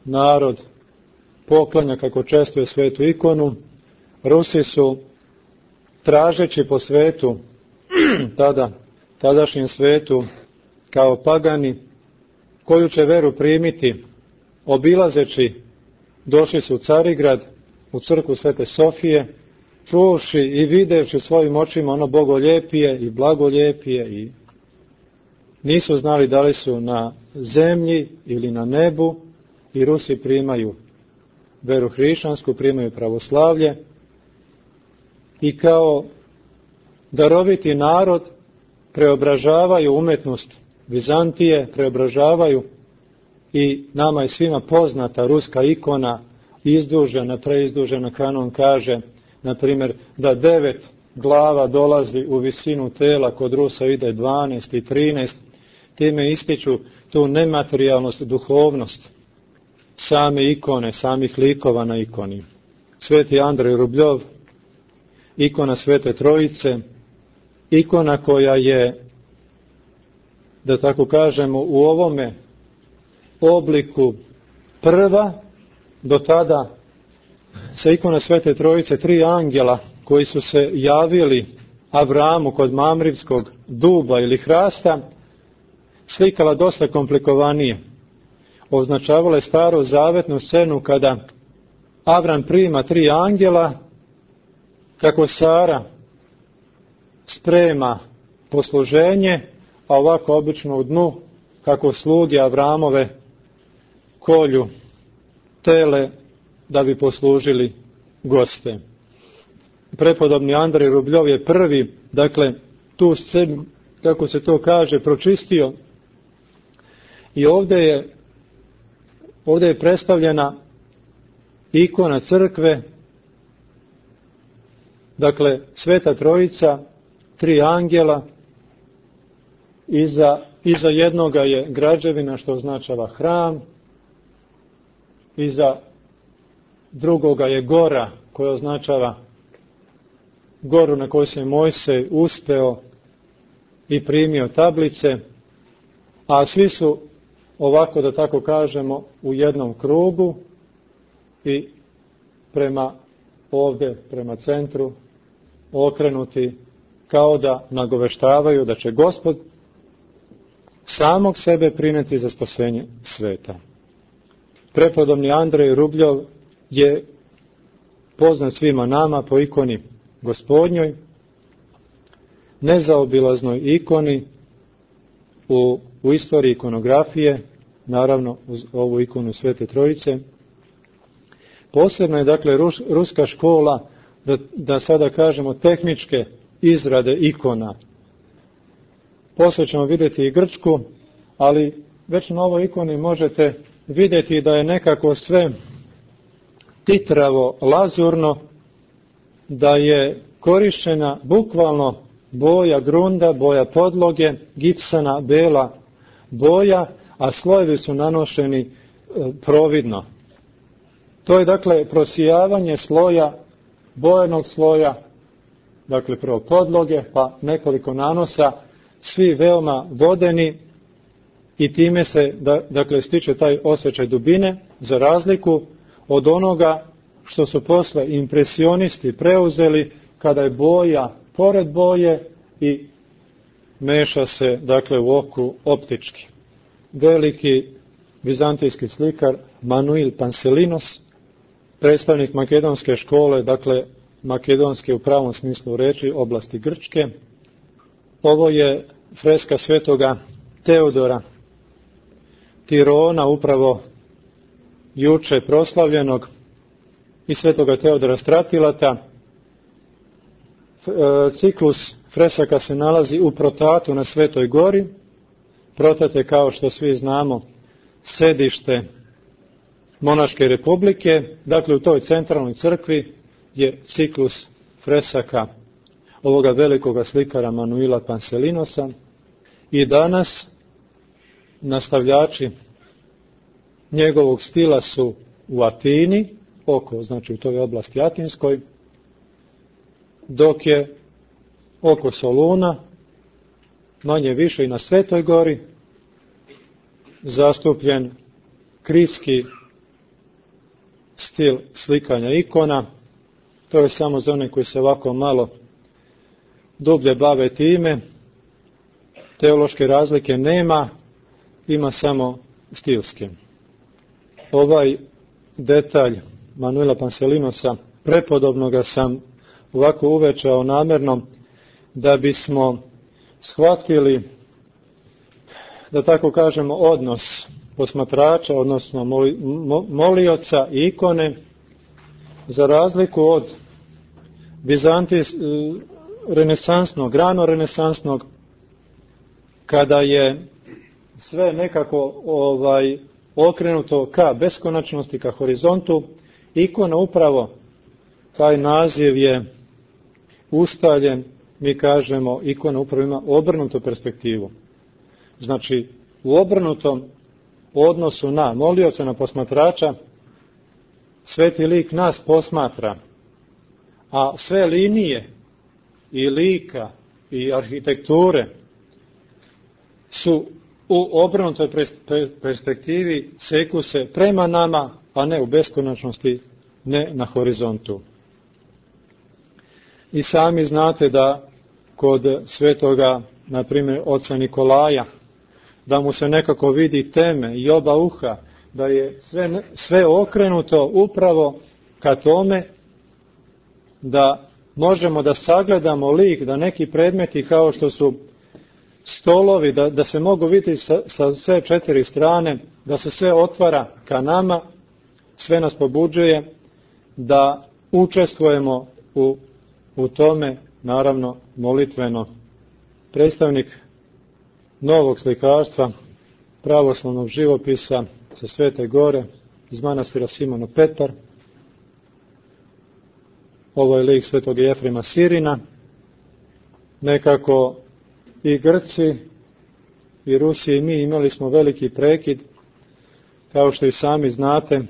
narod poklanja, kako čestuje svetu ikonu. Rusi su tražeći po svetu tada, tadašnjem svetu kao pagani, koju će veru primiti obilazeći, došli su u Carigrad, u crkvu Svete Sofije, čuvši i videvši svojim očima ono bogoljepije i blagoljepije i nisu znali da li su na zemlji ili na nebu i Rusi primaju veru hrišćansku, primaju pravoslavlje i kao daroviti narod preobražavaju umetnost Vizantije, preobražavaju i nama je svima poznata ruska ikona, izdužena, preizdužena, kanon kaže, na primjer, da devet glava dolazi u visinu tela, kod Rusa ide dvanaest i trinaest, time ističu tu nematerijalnost, duhovnost same ikone, samih likova na ikoni. Sveti Andrej Rubljov, ikona Svete Trojice, ikona koja je, da tako kažemo, u ovome obliku prva, do tada sa ikona Svete Trojice, tri angela koji su se javili Avramu kod Mamrivskog duba ili hrasta, slikala dosta komplikovanije. Označavala je staru zavetnu scenu kada Avram prima tri angela, kako Sara sprema posluženje, a ovako obično u dnu, kako sluge Avramove kolju tele da bi poslužili goste. Prepodobni Andrej Rubljov je prvi, dakle, tu scenu, kako se to kaže, pročistio i ovdje je, ovdje je predstavljena ikona crkve, dakle, Sveta Trojica, tri angela, iza, iza jednoga je građevina što označava hram, iza drugoga je gora koja označava goru na kojoj se Mojsej uspeo i primio tablice, a svi su ovako, da tako kažemo, u jednom krugu i prema ovdje, prema centru, okrenuti kao da nagoveštavaju da će Gospod samog sebe prinijeti za spasenje sveta. Prepodobni Andrej Rubljov je poznat svima nama po ikoni Gospodnjoj, nezaobilaznoj ikoni u, u istoriji ikonografije, naravno uz ovu ikonu Svete Trojice. Posebno je, dakle, rus, ruska škola, da, da sada kažemo, tehničke izrade ikona. Poslije ćemo vidjeti i grčku, ali već na ovoj ikoni možete vidjeti da je nekako sve titravo, lazurno, da je korištena bukvalno boja grunda, boja podloge, gipsana, bela boja, a slojevi su nanošeni e, providno. To je, dakle, prosijavanje sloja, bojenog sloja, dakle, prvo podloge, pa nekoliko nanosa, svi veoma vodeni i time se, da, dakle, stiče taj osjećaj dubine, za razliku od onoga što su posle impresionisti preuzeli, kada je boja pored boje i meša se, dakle, u oku optički. Veliki vizantijski slikar Manuil Panselinos, predstavnik makedonske škole, dakle, makedonske u pravom smislu reči, oblasti Grčke. Ovo je freska svetoga Teodora Tirona, upravo juče proslavljenog, i svetoga Teodora Stratilata. Ciklus fresaka se nalazi u Protatu na Svetoj gori. Protat je, kao što svi znamo, sedište Monaške republike. Dakle, u toj centralnoj crkvi je ciklus fresaka ovoga velikoga slikara Manuila Panselinosa. I danas nastavljači njegovog stila su u Atini, oko, znači u toj oblasti Atinskoj, dok je oko Soluna, manje više i na Svetoj gori, zastupljen kritski stil slikanja ikona. To je samo za one koji se ovako malo dublje bave time. Teološke razlike nema, ima samo stilske. Ovaj detalj Manuela Panselinosa, prepodobnoga sam ovako uvečao namjerno, da bismo shvatili, da tako kažemo, odnos posmatrača, odnosno moli, molioca i ikone, za razliku od Bizantijs, renesansnog, rano renesansnog, kada je sve nekako ovaj, okrenuto ka beskonačnosti, ka horizontu, ikona upravo, taj naziv je ustaljen, mi kažemo, ikona upravo ima obrnutu perspektivu. Znači, u obrnutom odnosu na molioca, na posmatrača, sveti lik nas posmatra, a sve linije i lika i arhitekture su u obrnutoj perspektivi, seku se prema nama, a ne u beskonačnosti, ne na horizontu. I sami znate da kod svetoga, na primjer, oca Nikolaja, da mu se nekako vidi teme i oba uha, da je sve, sve okrenuto upravo ka tome da možemo da sagledamo lik, da neki predmeti kao što su stolovi, da, da se mogu vidjeti sa, sa sve četiri strane, da se sve otvara ka nama, sve nas pobuđuje da učestvujemo u, u tome, naravno molitveno. Predstavnik novog slikarstva, pravoslavnog živopisa sa Svete Gore, iz manastira Simono Petar. Ovo je lik svetog Jefrema Sirina. Nekako i Grci i Rusi i mi imali smo veliki prekid, kao što i sami znate.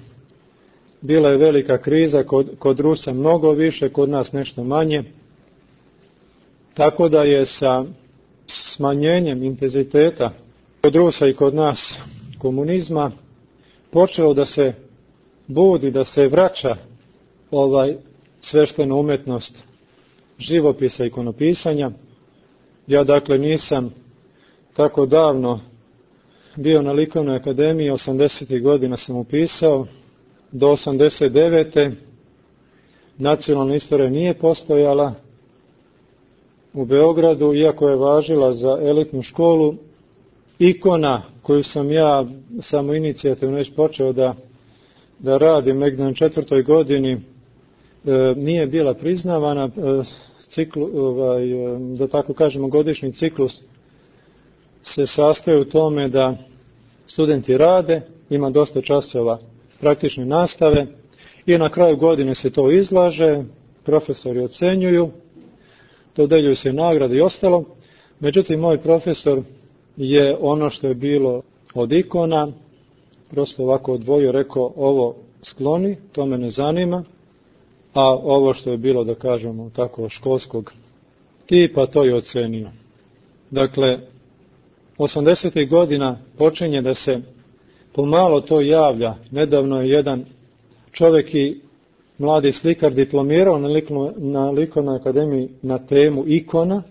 Bila je velika kriza, kod, kod Rusa mnogo više, kod nas nešto manje. Tako da je sa smanjenjem intenziteta kod Rusa i kod nas komunizma počelo da se budi, da se vraća ovaj sveštena umetnost živopisa i ikonopisanja. Ja dakle nisam tako davno bio na Likovnoj akademiji, osamdesetih godina sam upisao, do osamdeset devete nacionalna istorija nije postojala u Beogradu, iako je važila za elitnu školu. Ikona koju sam ja samo inicijativno već počeo da, da radim negdje na četvrtoj godini, e, nije bila priznavana. E, ciklu, ovaj, da tako kažemo, godišnji ciklus se sastoji u tome da studenti rade, ima dosta časova praktične nastave i na kraju godine se to izlaže, profesori ocenjuju, dodeljuju se nagrade i ostalo. Međutim, moj profesor je ono što je bilo od ikona prosto ovako odvojio, rekao ovo skloni, to me ne zanima, a ovo što je bilo, da kažemo tako, školskog tipa, to je ocenio. Dakle, osamdesetih godina počinje da se pomalo to javlja. Nedavno je jedan čovjek i mladi slikar diplomirao na, likno, na Likovnoj akademiji na temu ikona.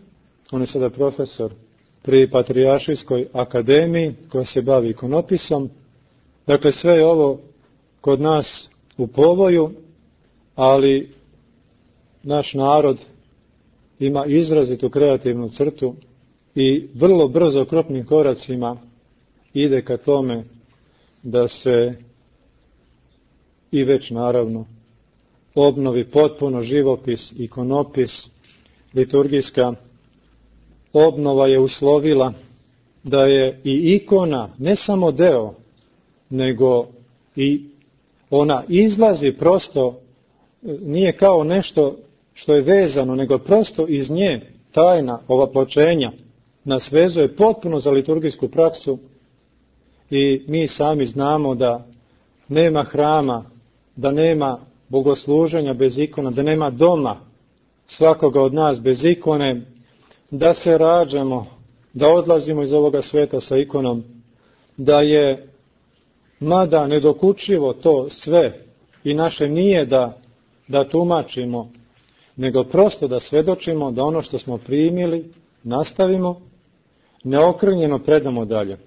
On je sada profesor pri Patrijaršijskoj akademiji koja se bavi ikonopisom. Dakle, sve je ovo kod nas u povoju, ali naš narod ima izrazitu kreativnu crtu i vrlo brzo krupnim koracima ide ka tome da se i već naravno obnovi potpuno živopis, ikonopis, liturgijska obnova je uslovila da je i ikona ne samo deo, nego i ona izlazi prosto, nije kao nešto što je vezano, nego prosto iz nje tajna ovapločenja nas vezuje potpuno za liturgijsku praksu i mi sami znamo da nema hrama, da nema bogosluženja bez ikona, da nema doma svakoga od nas bez ikone, da se rađamo, da odlazimo iz ovoga sveta sa ikonom, da je mada nedokučivo to sve i naše nije da, da tumačimo nego prosto da svedočimo da ono što smo primili nastavimo, neokrnjeno predamo dalje.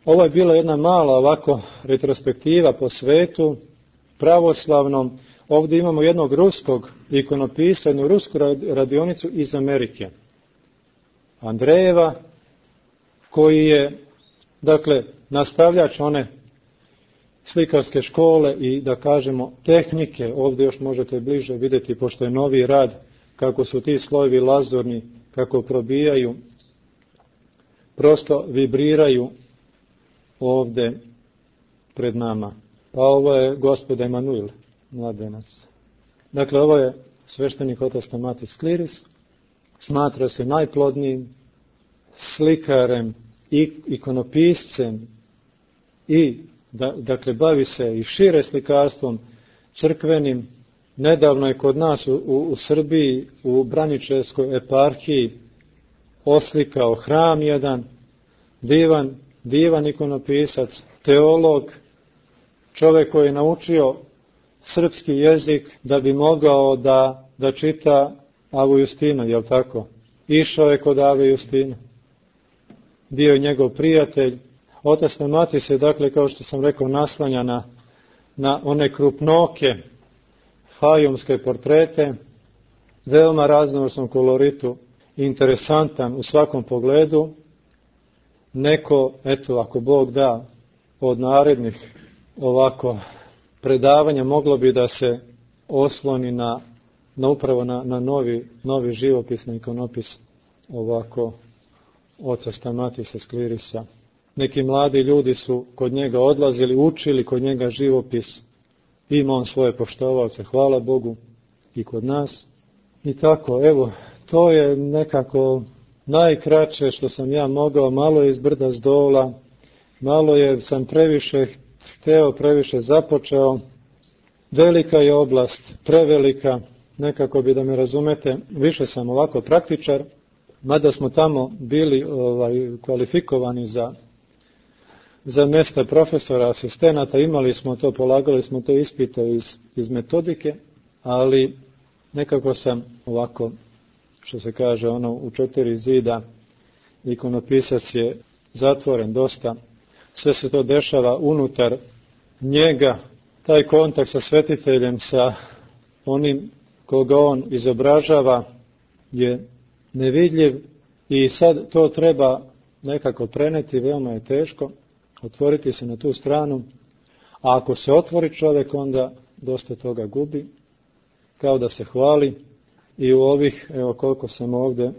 Ovo je bila jedna mala ovako retrospektiva po svetu pravoslavnom. Ovdje imamo jednog ruskog ikonopisa, jednu rusku radionicu iz Amerike, Andrejeva, koji je, dakle, nastavljač one slikarske škole i, da kažemo, tehnike. Ovdje još možete bliže vidjeti, pošto je novi rad, kako su ti slojevi lazurni, kako probijaju, prosto vibriraju ovdje pred nama. Pa ovo je gospod Emanuil, mladenac. Dakle, ovo je sveštenik otac Stamatis Kliris, smatra se najplodnijim slikarem i ikonopiscem i, da, dakle, bavi se i šire slikarstvom crkvenim. Nedavno je kod nas u, u, u Srbiji, u Braničevskoj eparhiji, oslikao hram jedan, divan, divan ikonopisac, teolog, čovjek koji je naučio srpski jezik da bi mogao da, da čita Avu Justinu, jel tako? Išao je kod Ave Justine. Bio je njegov prijatelj. Otac Stamatis se, dakle, kao što sam rekao, naslanja na, na one krupnoke fajumske portrete, veoma raznovrsnom koloritu, interesantan u svakom pogledu. Neko, eto, ako Bog da, od narednih ovako predavanja moglo bi da se osloni na, na upravo na, na novi, novi živopis, na ikonopis ovako oca Stamatisa Klirisa. Neki mladi ljudi su kod njega odlazili, učili kod njega živopis. Ima on svoje poštovalce, hvala Bogu, i kod nas. I tako, evo, to je nekako najkraće što sam ja mogao, malo je iz brda s dola, malo je, sam previše hteo, previše započeo. Velika je oblast, prevelika, nekako bi da me razumete, više sam ovako praktičar, mada smo tamo bili ovaj, kvalifikovani za, za mjesta profesora, asistenata, imali smo to, polagali smo te ispite iz, iz metodike, ali nekako sam ovako, što se kaže, ono u četiri zida, ikonopisac je zatvoren dosta, sve se to dešava unutar njega, taj kontakt sa svetiteljem, sa onim koga on izobražava je nevidljiv i sad to treba nekako preneti, veoma je teško, otvoriti se na tu stranu, a ako se otvori čovjek, onda dosta toga gubi, kao da se hvali. I u ovih, evo koliko sam ovdje,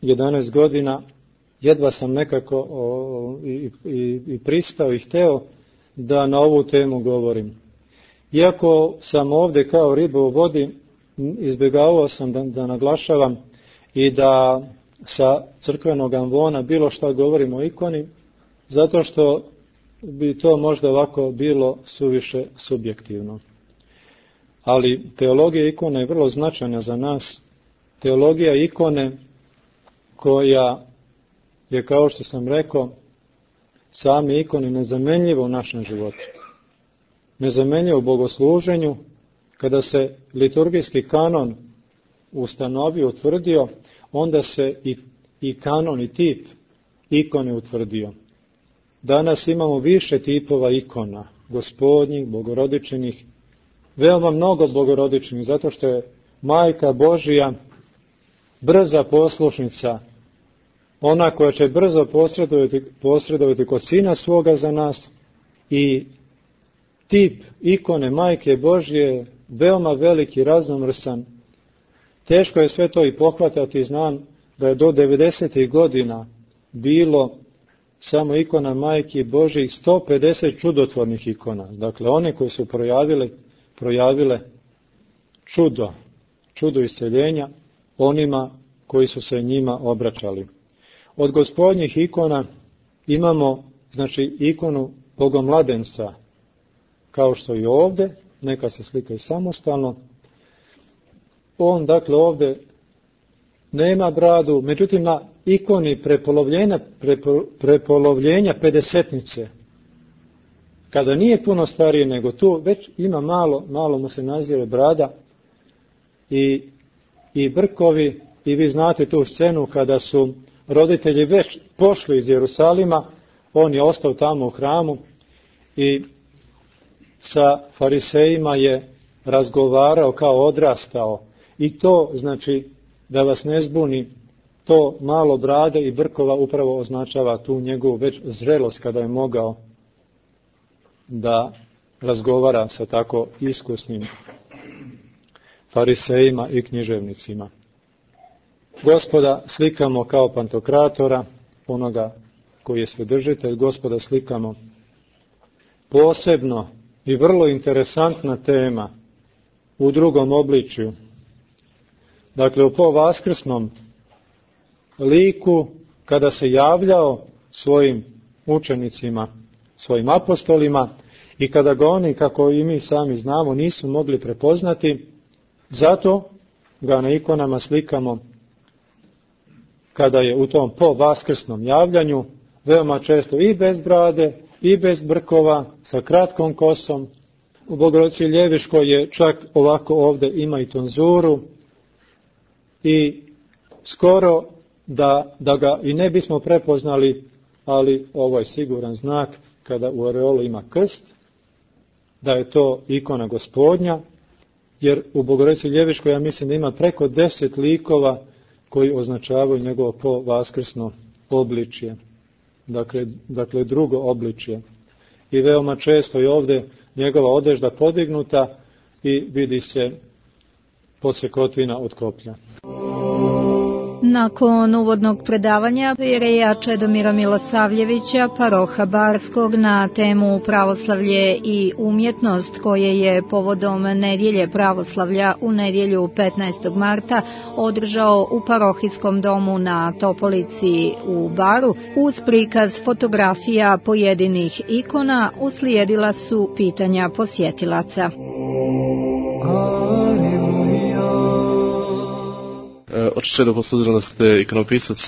jedanaest godina, jedva sam nekako o, i, i, i pristao i hteo da na ovu temu govorim. Iako sam ovdje kao riba u vodi, izbjegavao sam da, da naglašavam i da sa crkvenog amvona bilo šta govorim o ikoni, zato što bi to možda ovako bilo suviše subjektivno. Ali teologija ikone je vrlo značajna za nas. Teologija ikone koja je, kao što sam rekao, sami ikoni nezamenljivo u našem životu. Nezamenljivo u bogosluženju. Kada se liturgijski kanon ustanovio, utvrdio, onda se i, i kanon i tip ikone utvrdio. Danas imamo više tipova ikona, gospodnjih, bogorodičnih, veoma mnogo bogorodičnih, zato što je Majka Božija brza poslušnica, ona koja će brzo posredovati, posredovati kod Sina svoga za nas, i tip ikone Majke Božje veoma veliki, raznomrsan. Teško je sve to i pohvatati, znam da je do devedesetih godina bilo samo ikona Majke Božje sto pedeset čudotvornih ikona. Dakle, one koje su projavile, projavile čudo, čudo isceljenja onima koji su se njima obraćali. Od gospodnjih ikona imamo, znači, ikonu Bogomladenca, kao što i ovdje, neka se slika i samostalno. On, dakle, ovdje nema bradu, međutim na ikoni prepolovljenja, prepo, prepolovljenja pedesetnice, kada nije puno starije nego tu, već ima malo, malo mu se nazire brada i i brkovi, i vi znate tu scenu kada su roditelji već pošli iz Jerusalima, on je ostao tamo u hramu i sa farisejima je razgovarao kao odrastao. I to, znači, da vas ne zbuni, to malo brade i brkova upravo označava tu njegovu već zrelost kada je mogao da razgovara sa tako iskusnim farisejima i književnicima. Gospoda slikamo kao pantokratora, onoga koji je svedržitelj. Gospoda slikamo posebno i vrlo interesantna tema u drugom obličju. Dakle, u povaskrsnom liku, kada se javljao svojim učenicima, svojim apostolima, i kada ga oni, kako i mi sami znamo, nisu mogli prepoznati, zato ga na ikonama slikamo kada je u tom povaskrsnom javljanju, veoma često i bez brade, i bez brkova, sa kratkom kosom. U Bogorodici Ljeviškoj je čak ovako ovde ima i tonzuru, i skoro da, da ga i ne bismo prepoznali, ali ovo je siguran znak kada u areolu ima krst, da je to ikona Gospodnja, jer u Bogorodici Ljeviškoj ja mislim da ima preko deset likova koji označavaju njegovo povaskrsno obličje, dakle, dakle drugo obličje. I veoma često je ovde njegova odežda podignuta i vidi se podsekotina od koplja. Nakon uvodnog predavanja jereja Čedomira Milosavljevića, paroha Barskog, na temu pravoslavlje i umjetnost, koje je povodom nedjelje pravoslavlja u nedjelju petnaestog marta održao u parohijskom domu na Topolici u Baru, uz prikaz fotografija pojedinih ikona, uslijedila su pitanja posjetilaca. Oče Čedo, s obzirom da ste ikonopisac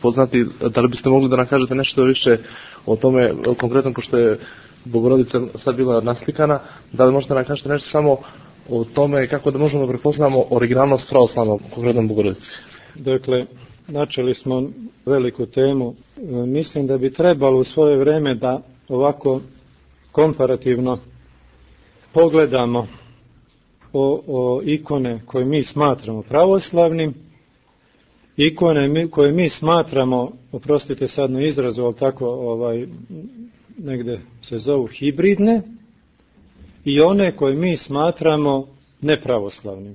poznati, da li biste mogli da nam kažete nešto više o tome, konkretno pošto je Bogorodica sad bila naslikana, da li možete nam kažete nešto samo o tome kako da možemo da prepoznamo originalnost pravoslavnog, konkretno Bogorodici? Dakle, načeli smo veliku temu. Mislim da bi trebalo u svoje vreme da ovako komparativno pogledamo o, o ikone koje mi smatramo pravoslavnim, ikone koje mi smatramo, oprostite sad na izrazu, ali tako ovaj, negde se zovu hibridne, i one koje mi smatramo nepravoslavnim.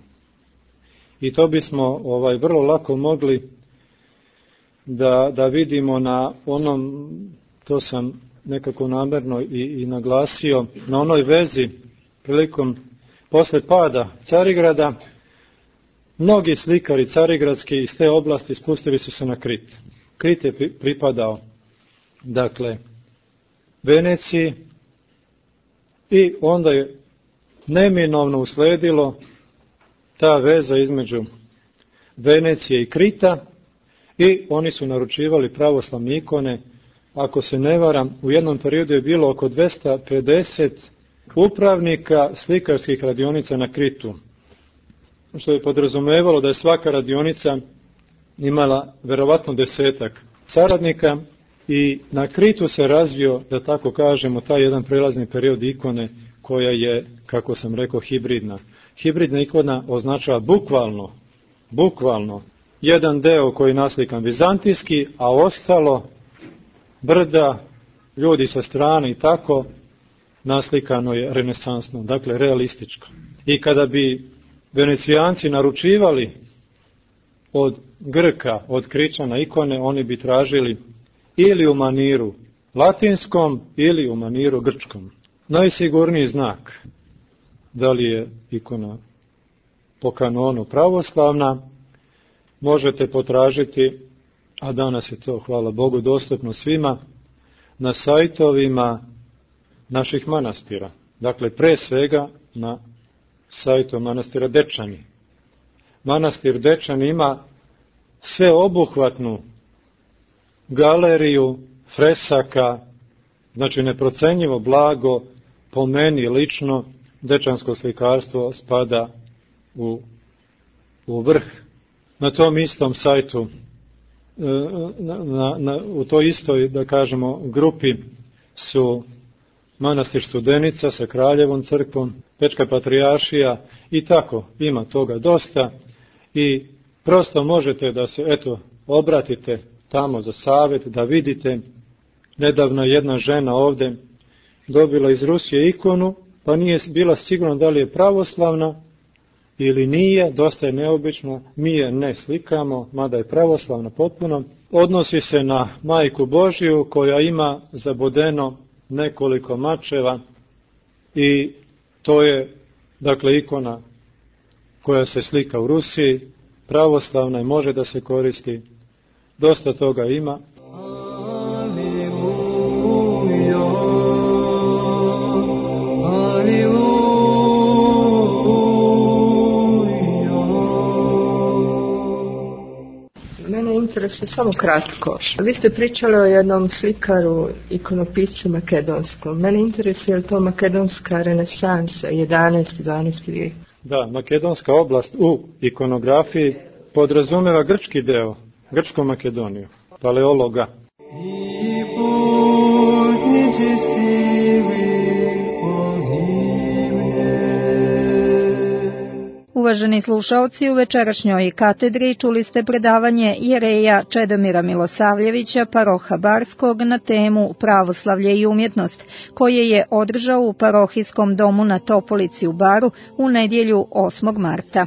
I to bismo ovaj, vrlo lako mogli da, da vidimo na onom, to sam nekako namerno i, i naglasio, na onoj vezi prilikom posle pada Carigrada. Mnogi slikari carigradski iz te oblasti spustili su se na Krit. Krit je pripadao, dakle, Veneciji, i onda je neminovno usledilo ta veza između Venecije i Krita, i oni su naručivali pravoslavne ikone. Ako se ne varam, u jednom periodu je bilo oko dvesta pedeset upravnika slikarskih radionica na Kritu, što je podrazumevalo da je svaka radionica imala verovatno desetak saradnika, i na Kritu se razvio, da tako kažemo, taj jedan prelazni period ikone koja je, kako sam rekao, hibridna. Hibridna ikona označava bukvalno, bukvalno jedan deo koji je naslikan vizantijski, a ostalo brda, ljudi sa strane i tako, naslikano je renesansno, dakle realističko. I kada bi Venecijanci naručivali od Grka, od Kričana ikone, oni bi tražili ili u maniru latinskom ili u maniru grčkom. Najsigurniji znak da li je ikona po kanonu pravoslavna možete potražiti, a danas je to, hvala Bogu, dostupno svima, na sajtovima naših manastira. Dakle, pre svega na sajtu manastira Dečani. Manastir Dečani ima sveobuhvatnu galeriju fresaka, znači neprocenjivo blago. Po meni lično dečansko slikarstvo spada u, u vrh na tom istom sajtu, na, na, na, u toj istoj, da kažemo, grupi su Manastir Studenica sa Kraljevom crkvom, Pečka patrijaršija i tako, ima toga dosta i prosto možete da se, eto, obratite tamo za savjet, da vidite. Nedavno jedna žena ovdje dobila iz Rusije ikonu, pa nije bila sigurna da li je pravoslavna ili nije, dosta je neobično, mi je ne slikamo, mada je pravoslavna potpuno. Odnosi se na Majku Božiju koja ima zabodeno nekoliko mačeva i to je, dakle, ikona koja se slika u Rusiji, pravoslavna i može da se koristi, dosta toga ima. Mene interesuje samo kratko. Vi ste pričali o jednom slikaru, ikonopiscu makedonskom. Mene interesuje je li to makedonska renesansa, jedanaesti i dvanaesti vijek? Da, makedonska oblast u ikonografiji podrazumeva grčki deo, grčku Makedoniju, paleologa. Uvaženi slušaoci, u večerašnjoj katedri čuli ste predavanje jereja Čedomira Milosavljevića, paroha Barskog, na temu Pravoslavlje i umjetnost, koje je održao u parohijskom domu na Topolici u Baru u nedjelju osmog marta.